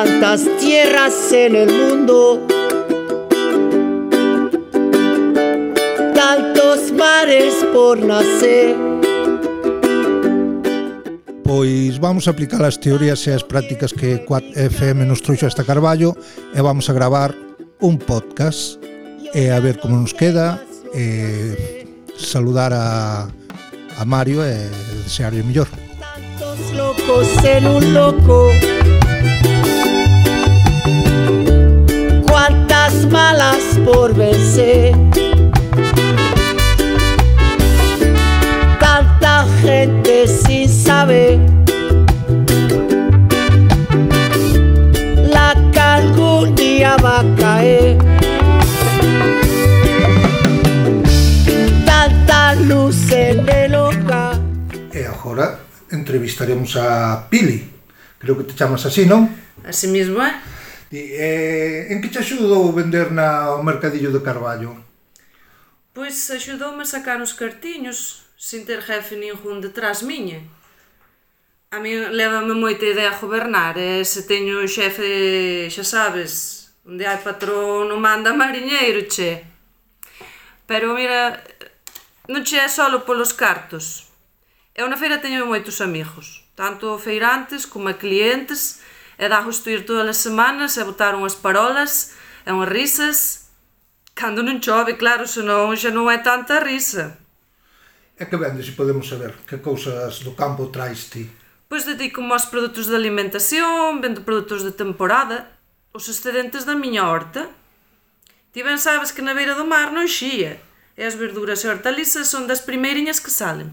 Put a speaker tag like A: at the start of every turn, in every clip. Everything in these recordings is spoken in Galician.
A: tantas tierras en el mundo, tantos mares por nacer.
B: Pois vamos a aplicar as teorías e as prácticas que Quad FM nos trouxo hasta Carballo e vamos a gravar un podcast e a ver como nos queda, saludar a Mario e desearlle o mellor.
A: Tantos locos en un loco, cuántas malas por vencer, tanta gente sin saber la que algún día va a caer, tanta luz en el hogar.
B: E agora entrevistaremos a Pili, creo que te chamas así, non?
C: Así mismo,
B: En que te axudou vender no mercadillo de Carballo?
C: Pois axudoume a sacar uns cartiños sin ter jefe ningún detrás miña. A mí lévame moita idea a gobernar, e se teño un xefe, xa sabes, onde hai patrón non manda mariñeiro, che. Pero mira, non che é solo polos cartos. Eu na feira teño moitos amigos, tanto feirantes como clientes, e dá gusto ir todas as semanas e botar unhas parolas e unhas risas. Cando non chove, claro, senón xa non é tanta risa.
B: E que vendes, se podemos saber? Que cousas do campo traes ti?
C: Pois dedico-me aos produtos de alimentación, vendo produtos de temporada, os excedentes da miña horta. Ti ben sabes que na beira do mar non xía, e as verduras e hortalizas son das primeiriñas que salen.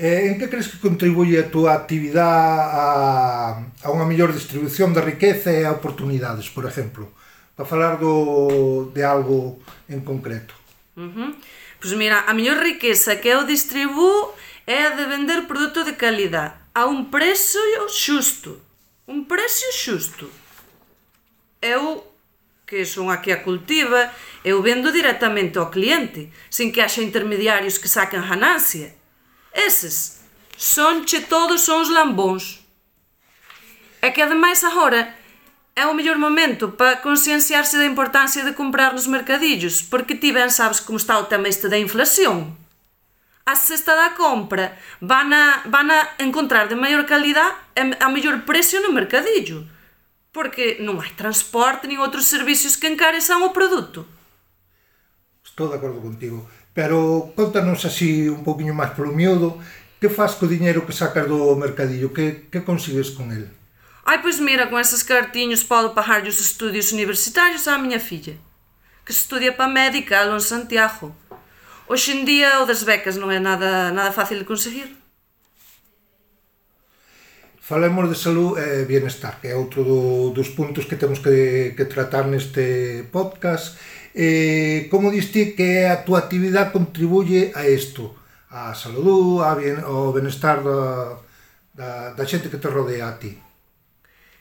B: En que crees que contribuye a túa actividade a unha mellor distribución da riqueza e a oportunidades, por exemplo? Para falar de algo en concreto.
C: Pois mira, a mellor riqueza que eu distribuo é a de vender produto de calidad a un precio xusto. Un precio xusto. Eu, que son a que a cultiva, eu vendo directamente ao cliente, sin que haxa intermediarios que saquen ganancia. Eses sonche todos son os lambóns. É que ademais agora é o mellor momento para conscienciarse da importancia de comprar nos mercadillos, porque ti ben sabes como está o tema este da inflación. A cesta da compra van a encontrar de maior calidad e a mellor precio no mercadillo, porque non hai transporte nin outros servicios que encarezan o produto.
B: Estou de acordo contigo, pero contanos así un poquinho máis polo miúdo, que faz co diñeiro que sacas do mercadillo, que consigues con el?
C: Ai, pois mira, con eses cartiños podo pagarlle os estudios universitarios á miña filla, que se estudia para médica aló en Santiago. Hoxe en día o das becas non é nada fácil de conseguir.
B: Falemos de salud e bienestar, que é outro dos puntos que temos que tratar neste podcast. Como diste que a túa actividade contribuye a isto, a salud, ao bienestar da xente que te rodea a ti?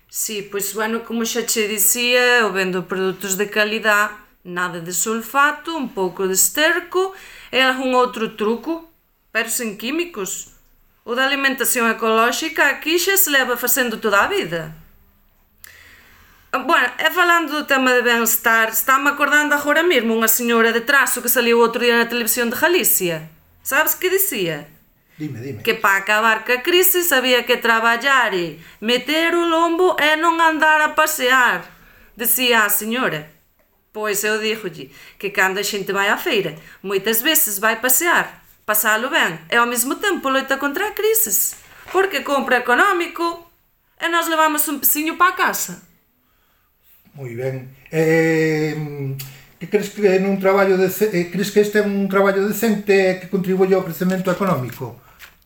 C: Sí, pois, bueno, como xa che dicía, eu vendo produtos de calidad, nada de sulfato, un pouco de esterco e algún outro truco, pero sen químicos. O da alimentación ecolóxica aquí xa se leva facendo toda a vida. Bueno, e falando do tema de bem-estar, está-me acordando agora mesmo unha señora de Traso que saliu outro día na televisión de Galicia. Sabes que dicía?
B: Dime.
C: Que para acabar ca crise sabía que traballar e meter o lombo e non andar a pasear. Decía a señora. Pois eu dígolle que cando a xente vai á feira, moitas veces vai pasear, pasalo ben, e ao mesmo tempo loita contra a crisis, porque compra económico e nós levamos un peciño para a casa.
B: Moi ben. Que crees que crees que este é un traballo decente que contribuye ao crecemento económico?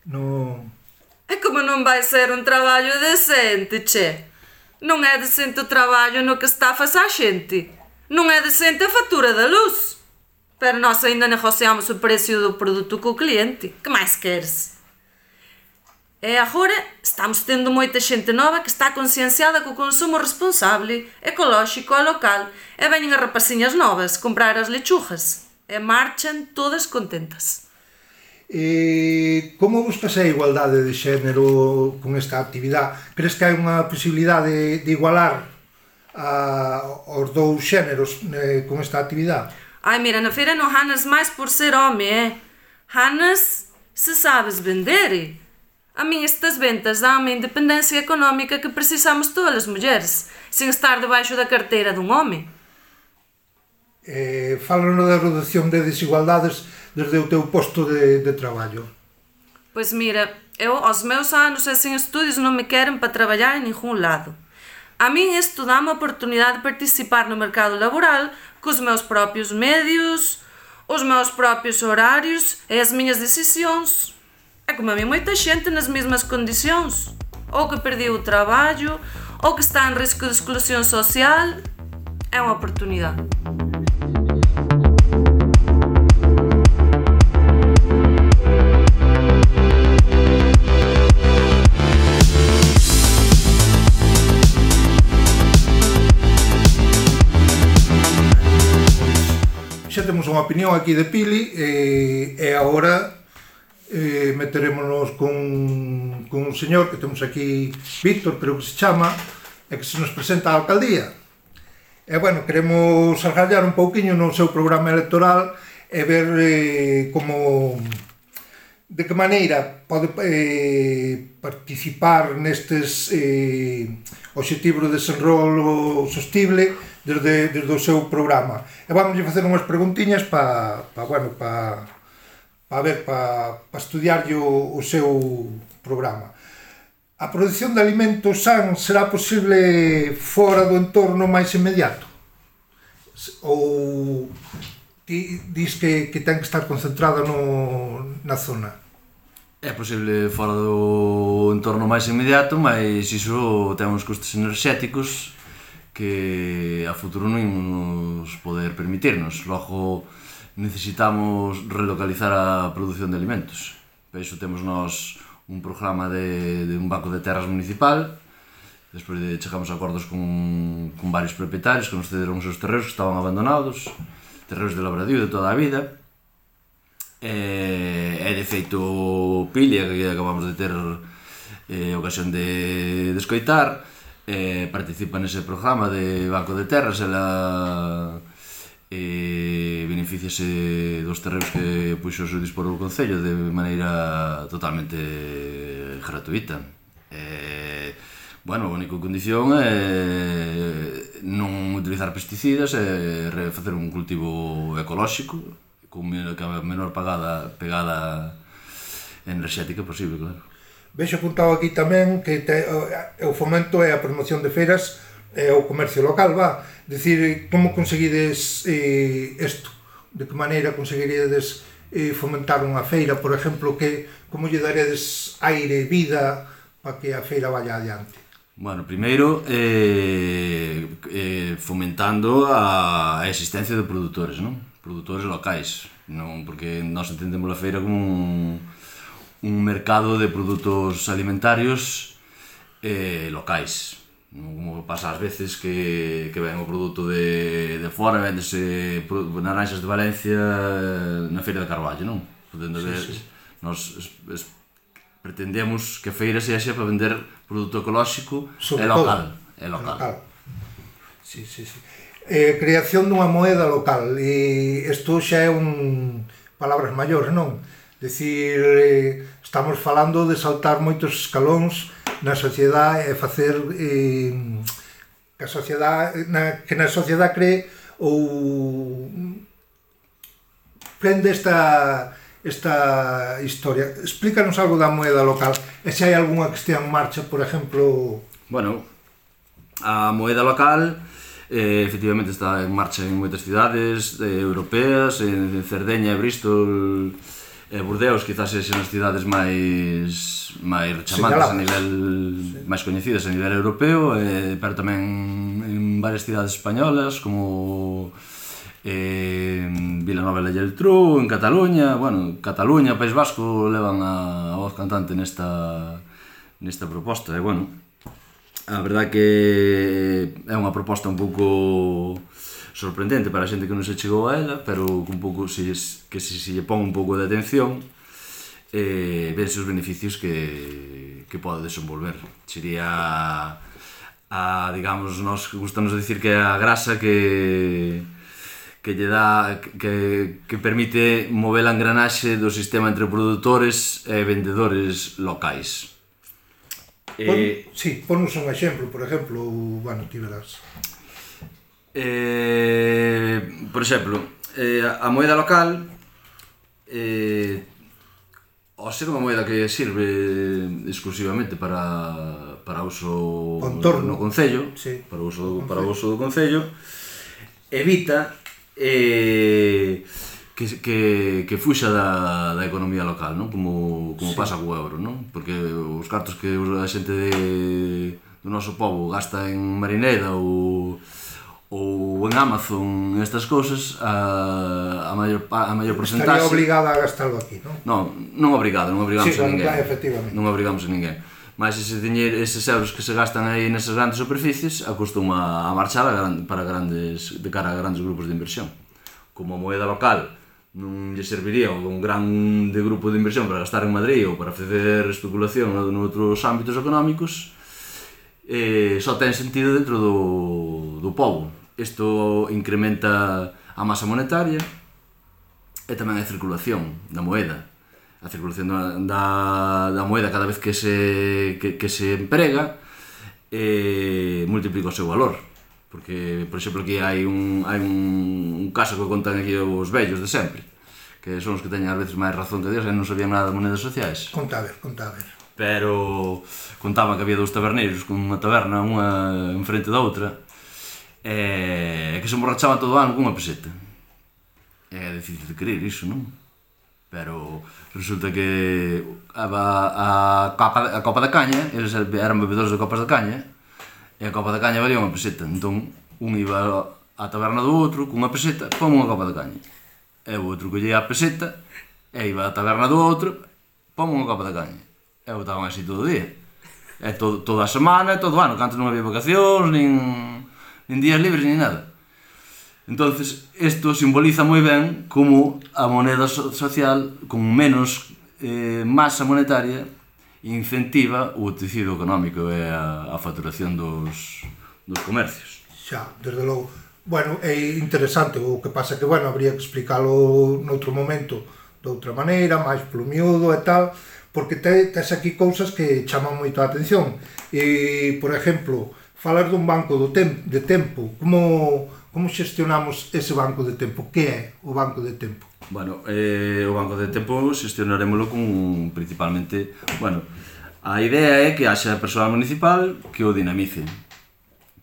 C: E como non vai ser un traballo decente, che? Non é decente o traballo no que estafas á xente. Non é decente a factura da luz. Pero nós ainda negociamos o precio do produto co cliente. Que máis queres? E agora estamos tendo moita xente nova que está concienciada co consumo responsable, ecolóxico e local, e veñen as rapaciñas novas comprar as lechugas e marchan todas contentas.
B: Como buscas a igualdade de xénero con esta actividade? Crees que hai unha posibilidade de igualar os dous xéneros con esta actividade?
C: Ai, mira, na feira non ganas máis por ser home, ganas se sabes vender. A min estas ventas dan-me a independencia económica que precisamos todas as mulleres, sen estar debaixo da carteira dun home.
B: Fálanos da reducción de desigualdades desde o teu posto de traballo.
C: Pois mira, eu aos meus anos e sen estudios non me queren para traballar en ningún lado. A min isto dá-me a oportunidade de participar no mercado laboral cos meus propios medios, os meus propios horarios e as miñas decisións. É como a mí moita xente nas mesmas condicións, ou que perdiu o traballo, ou que está en risco de exclusión social. É unha oportunidade.
B: Xa temos unha opinión aquí de Pili e agora meterémonos con un señor que temos aquí, Víctor, creo que se chama, e que se nos presenta a alcaldía. E, bueno, queremos argallar un pouquiño no seu programa electoral e ver de que maneira pode participar nestes obxectivos de desenrolo sostible desde o seu programa. E vamos facer unhas preguntiñas para estudiarlle o seu programa. A produción de alimentos san será posible fora do entorno máis inmediato? Ou ti dis que ten que estar concentrada na zona?
D: É posible fora do entorno máis inmediato, mas iso ten uns custos enerxéticos que a futuro non imos poder permitirnos. Logo, necesitamos relocalizar a produción de alimentos. Por iso temos nós un programa de un banco de terras municipal. Despois chegamos a acordos con varios propietarios que nos cederon os seus terreos que estaban abandonados, terreos de labradío de toda a vida. E de feito Pilia, que acabamos de ter ocasión de escoitar, participa nese programa de Banco de Terras. Ela beneficiase dos terreos que puxo o dispor o Concello de maneira totalmente gratuita. Bueno, a única condición é non utilizar pesticidas e facer un cultivo ecolóxico con a menor pegada enerxética posible, claro.
B: Vexo apuntado aquí tamén que o fomento e a promoción de feiras e o comercio local, Dicir, como conseguides isto? De que maneira conseguiríades fomentar unha feira, por exemplo, como lle daredes aire, vida, para que a feira vaya adiante?
D: Bueno, primeiro, fomentando a existencia de produtores, non? Produtores locais, non? Porque nós entendemos a feira como un mercado de produtos alimentarios locais. Como pasa ás veces que ven o produto de fora, vendese naranxas de Valencia na feira de Carballo, non? Nós pretendemos que a feira sexa para vender produto ecolóxico e local.
B: Sí. Creación dunha moeda local, e isto xa é palabras maiores, non? Decir, estamos falando de saltar moitos escalóns na sociedade e facer que na sociedade cree ou prende esta historia. Explícanos algo da moeda local e se hai algunha que estea en marcha, por exemplo.
D: Bueno, a moeda local efectivamente está en marcha en moitas cidades europeas, en Cerdeña, Bristol e Burdeos, quizás sexan as cidades máis rechamantes a nivel, máis coñecidas a nivel europeo, pero tamén en varias cidades españolas como Vilanova e la Geltrú, en Cataluña. Bueno, Cataluña, País Vasco levan a voz cantante nesta proposta, e bueno, a verdad que é unha proposta un pouco sorprendente para a xente que non se chegou a ela, pero un pouco que se lle pon un pouco de atención, vense os beneficios que pode desenvolver. Sería digamos, nós gustamos dicir que é a grasa que lle dá, que permite mover a engranaxe do sistema entre produtores e vendedores locais.
B: Ponnos un exemplo, por exemplo, bueno, ti verás.
D: Por exemplo, a moeda local, ao ser unha moeda que sirve exclusivamente para uso no concello, para uso do concello, evita que fuxa da economía local, non? Como pasa co euro, non? Porque os cartos que a xente do noso pobo gasta en Marineda ou en Amazon, estas cousas, a maior porcentaxe...
B: Estaría obligada a gastarlo aquí, non?
D: Non obrigamos a ninguén.
B: Efectivamente.
D: Non obrigamos a ninguén. Mas eses euros que se gastan aí nesas grandes superficies acostuma a marchar de cara a grandes grupos de inversión. Como a moeda local non lle serviría a un grande grupo de inversión para gastar en Madrid ou para facer especulación noutros ámbitos económicos, só ten sentido dentro do pobo. Isto incrementa a masa monetaria e tamén a circulación da moeda. A circulación da moeda cada vez que se emprega multiplica o seu valor. Porque, por exemplo, aquí hai un caso que contan aquí os vellos de sempre, que son os que teñen ás veces máis razón que Dios, e non sabían nada de moedas sociais.
B: Conta a ver.
D: Pero contaban que había dous taberneiros con unha taberna, unha enfrente da outra, que se emborrachaban todo o ano cunha peseta. É difícil de creer iso, non? Pero resulta que a copa da caña, eles eran bebedores de copas de caña, e a copa da caña valía unha peseta. Entón, un iba á taberna do outro cunha peseta, pon unha copa de caña. E o outro collía a peseta, e iba á taberna do outro, pon unha copa de caña. E botaban así todo o día. E toda a semana, todo o ano, que antes non había vacacións, nin días libres, nin nada. Entonces, isto simboliza moi ben como a moneda social, con menos masa monetaria, incentiva o tecido económico e a facturación dos comercios.
B: Xa, desde logo. Bueno, é interesante, o que pasa que, bueno, habría que explicarlo noutro momento de outra maneira, máis polo miúdo e tal, porque tes aquí cousas que chaman moito a atención. E, por exemplo, falar dun banco de tempo, como xestionamos ese banco de tempo? Que é o banco de tempo?
D: Bueno, o banco de tempo xestionarémolo principalmente... Bueno, a idea é que haxa persoal municipal que o dinamice.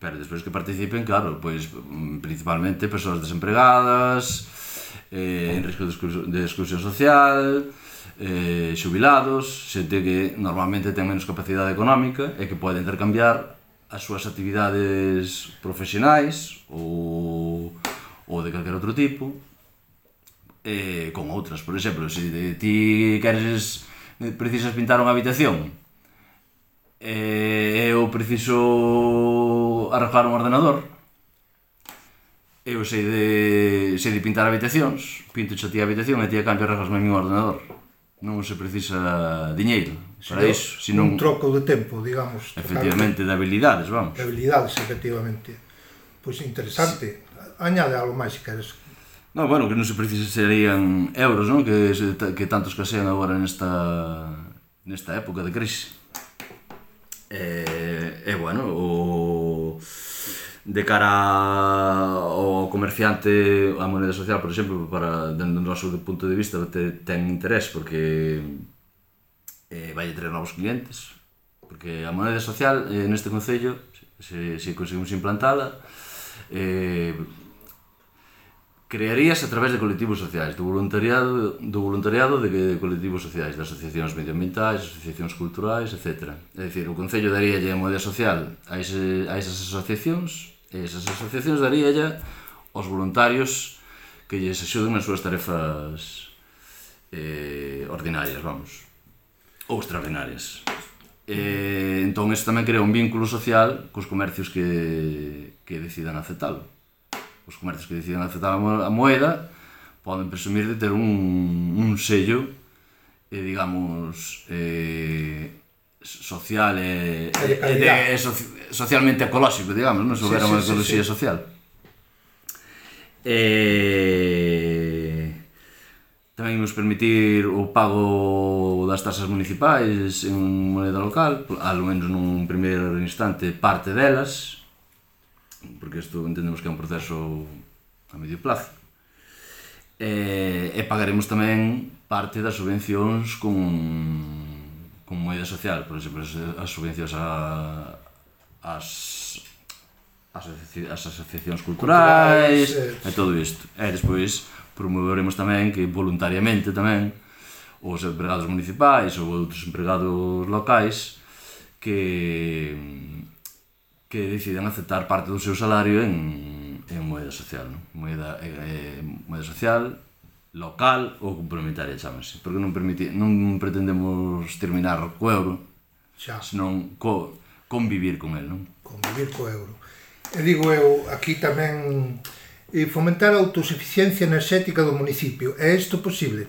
D: Pero despois que participen, claro, pois principalmente persoas desempregadas, en risco de exclusión social, xubilados, xente que normalmente ten menos capacidade económica e que pode intercambiar as súas actividades profesionais ou de calquer outro tipo con outras. Por exemplo, se ti precisas pintar unha habitación e eu preciso arreglar un ordenador, eu sei de pintar habitacións, pinto xa ti a habitación e ti a cambio arreglasme a mi ordenador. Non se precisa diñeiro para iso,
B: senón un troco de tempo, digamos.
D: Efectivamente, de habilidades, vamos.
B: De habilidades, efectivamente. Pois interesante. Añade algo máis, se queres.
D: No, bueno, que non se precisarían euros, non? Que tanto escasean agora nesta época de crise. Bueno, de cara ao comerciante, a moneda social, por exemplo, dentro do noso punto de vista, ten interés porque vai traer novos clientes, porque a moneda social neste concello, se conseguimos implantala, crearíase a través de colectivos sociais, do voluntariado de colectivos sociais, de asociacións medioambientais, asociacións culturais, etc. É dicir, o concello daríalle a moneda social a esas asociacións, e esas asociacións daríalle aos voluntarios que lles axuden nas súas tarefas ordinarias, vamos, ou extraordinarias. Entón, isto tamén crea un vínculo social cos comercios que decidan aceptalo. Os comercios que decidan aceptar a moeda poden presumir de ter un sello digamos, social e socialmente ecolóxico, digamos, non? Se houbera unha ecoloxía social. Tamén nos permitir o pago das tasas municipais en moneda local, ao menos nun primeiro instante parte delas, porque isto entendemos que é un proceso a medio plazo. E pagaremos tamén parte das subvencións con moeda social, por exemplo, as subvencións ás asociacións culturais e todo isto. E despois promoveremos tamén que voluntariamente tamén os empregados municipais ou outros empregados locais que decidan aceptar parte do seu salario en moeda social, non? Moeda social, local ou complementaria, chámase, porque non pretendemos terminar co euro, senón convivir con el, non?
B: Convivir co euro. E digo eu, aquí tamén fomentar a autosuficiencia enerxética do municipio. É isto posible?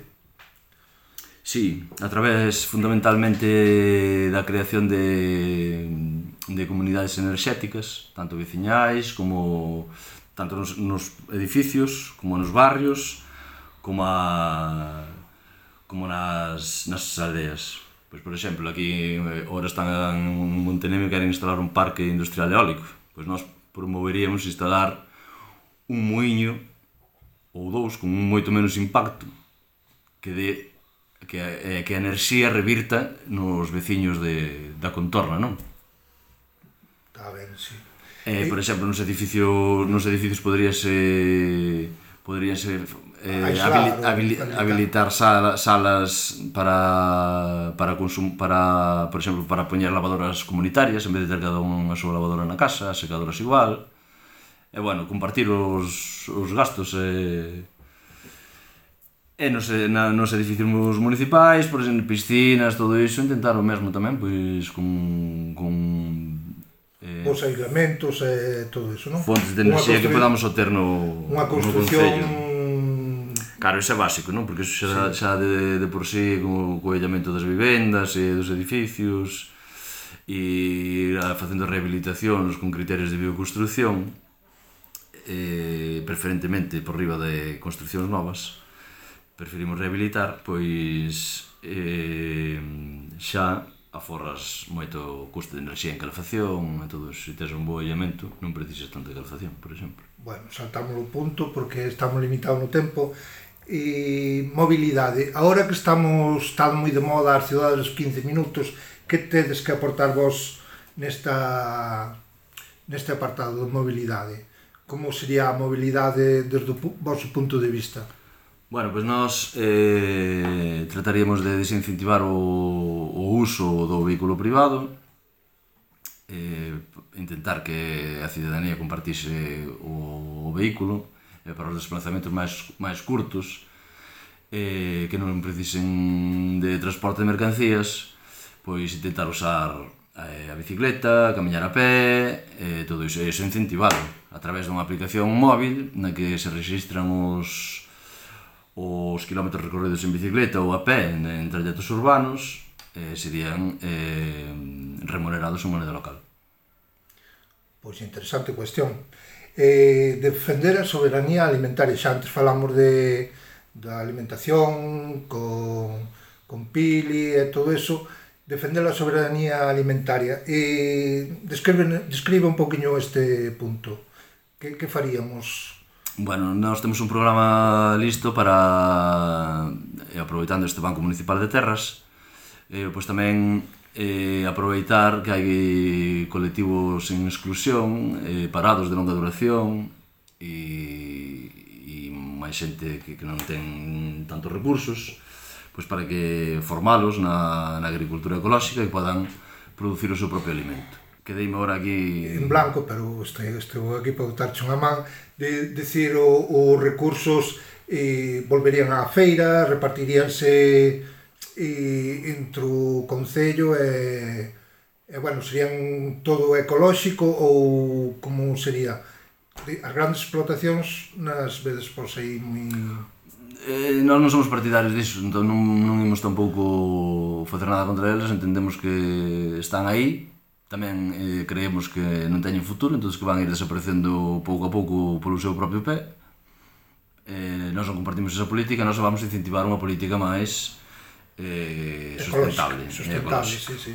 D: Sí, a través fundamentalmente da creación de comunidades enerxéticas, tanto veciñais como tanto nos edificios, como nos barrios, como nas aldeas. Pois, por exemplo, aquí ahora están en Montenegro e queren instalar un parque industrial eólico. Pois nós promoveríamos instalar un muiño ou dous con moito menos impacto que a enerxía revirta nos veciños da contorna, non?
B: Está ben, sí.
D: Por exemplo, nos edificios poderíanse habilitar salas para por exemplo, para poñer lavadoras comunitarias en vez de ter cada unha súa lavadora na casa, secadoras igual. E, bueno, compartir os gastos nos edificios municipais, por exemplo, piscinas, todo iso, intentar o mesmo tamén, pois, con
B: os aislamentos e todo iso, non?
D: Fontes de enerxía que podamos obter no Concello. Claro, iso é básico, non? Porque iso xa de por sí, co aillamento das vivendas e dos edificios, e facendo rehabilitacións con criterios de bioconstrucción, preferentemente por riba de construccións novas, preferimos rehabilitar, pois xa aforras moito custo de enerxía en calefacción e todo isso. Se tes un bo aillamento non precisas tanta calefacción, por exemplo.
B: Bueno, saltamos o punto porque estamos limitados no tempo. E mobilidade, agora que está moi de moda as cidades dos 15 minutos, que tedes que aportar vos neste apartado de mobilidade? Como sería a mobilidade desde o vosso punto de vista?
D: Bueno, pois nós trataríamos de desincentivar o uso do vehículo privado, intentar que a cidadanía compartise o vehículo para os desplazamentos máis curtos, que non precisen de transporte de mercancías, pois intentar usar a bicicleta, camiñar a pé, todo iso incentivado a través dunha aplicación móvil na que se registran os quilómetros recorridos en bicicleta ou a pé en trayectos urbanos, serían remunerados en moneda local.
B: Pois interesante cuestión. Defender a soberanía alimentaria. Xa antes falamos da alimentación con Pili e todo eso. Defender a soberanía alimentaria. Describe un poquinho este punto. Que faríamos?
D: Bueno, nós temos un programa listo para, aproveitando este Banco Municipal de Terras, pois tamén aproveitar que hai colectivos en exclusión, parados de longa duración e máis xente que non ten tantos recursos, pois para que formalos na agricultura ecolóxica e podan producir o seu propio alimento. Quedeime agora aquí
B: en blanco, pero estou aquí para botarche unha man de decir os recursos volverían á feira, repartiríanse entre o Concello e bueno, serían todo ecolóxico ou como sería? As grandes explotacións nas vedes por aí moi...
D: Nós non somos partidarios disso, entón non imos tampouco facer nada contra eles, entendemos que están aí, tamén creemos que non teñen futuro, entón que van ir desaparecendo pouco a pouco polo seu propio pé. Nós non compartimos esa política, nós vamos incentivar unha política máis sustentable.
B: Sustentable, sí.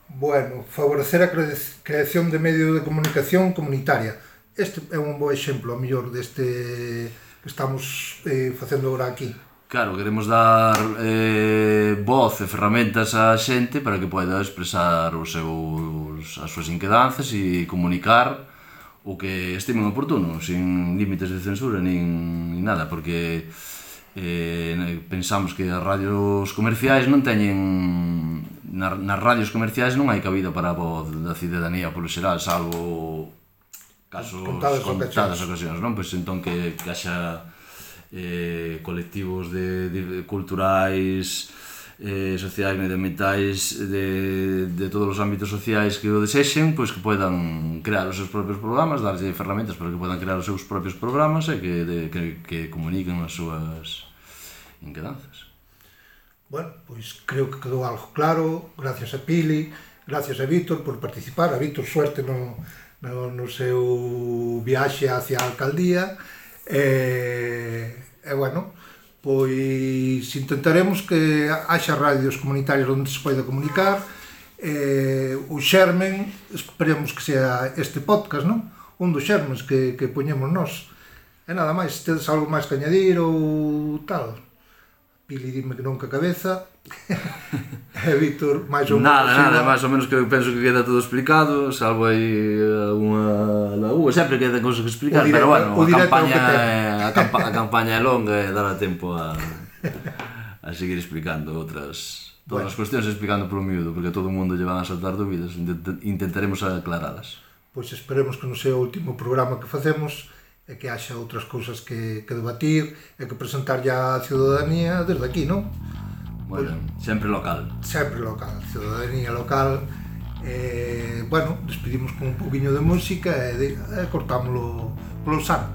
B: Bueno, favorecer a creación de medios de comunicación comunitaria. Este é un bo exemplo, a mellor, deste que estamos facendo agora aquí.
D: Claro, queremos dar voz e ferramentas á xente para que poida expresar as súas inquedanzas e comunicar o que estimen oportuno, sin límites de censura nin nada, porque pensamos que as radios comerciais non teñen... Nas radios comerciais non hai cabida para a voz da cidadanía polo xeral, salvo casos contadas ocasións, non? Pois entón que haxa colectivos culturais, sociais, medioambientais de todos os ámbitos sociais que o desexen, pois que poidan crear os seus propios programas, darlle ferramentas para que poidan crear os seus propios programas e que comuniquen as súas inquedanzas.
B: Bueno, pois creo que quedou algo claro, gracias a Pili, gracias a Víctor por participar, a Víctor suerte no seu viaxe hacia a alcaldía, e bueno, pois intentaremos que haxa radios comunitarias onde se poida comunicar, o xermen, esperemos que sea este podcast, non? Un dos xermes que poñemos nós. E nada máis, tedes algo máis que añadir ou tal? Pili, dime que non que a cabeza. E Víctor, máis ou menos...
D: Nada, máis ou menos que eu penso que queda todo explicado, salvo aí alguna laúa, sempre queda cousas que explicar, pero bueno, a campaña é longa e dará tempo a seguir explicando todas as cuestións, explicando polo miúdo, porque a todo o mundo lle van a saltar dúbidas, intentaremos aclaralas.
B: Pois esperemos que non sea o último programa que facemos, e que haxa outras cousas que debatir e que presentar ya a ciudadanía desde aquí, non?
D: Bueno, sempre local.
B: Sempre local, ciudadanía local. Bueno, despedimos con un poquinho de música e cortámoslo polo san.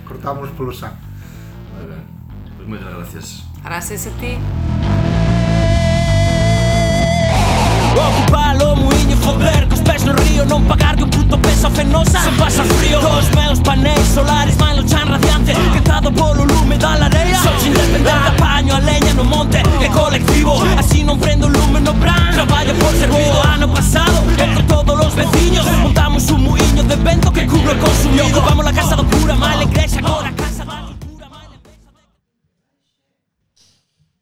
B: Cortámoslo polo san.
D: Moi ben, pois moitas gracias.
C: Gracias a ti.
E: Ocupar o muiño, foder cos pés no río, non pagar que un puto peso fenosa se pasa frío. Dos meus paneis solares van no chan radiante, quentado polo lume da lareira. Soy independente, apaño a leña no monte, é colectivo, así non prendo lume no bran. Traballo por servido, ano pasado, entre todos os veciños montamos un muiño de vento que cubre o consumido.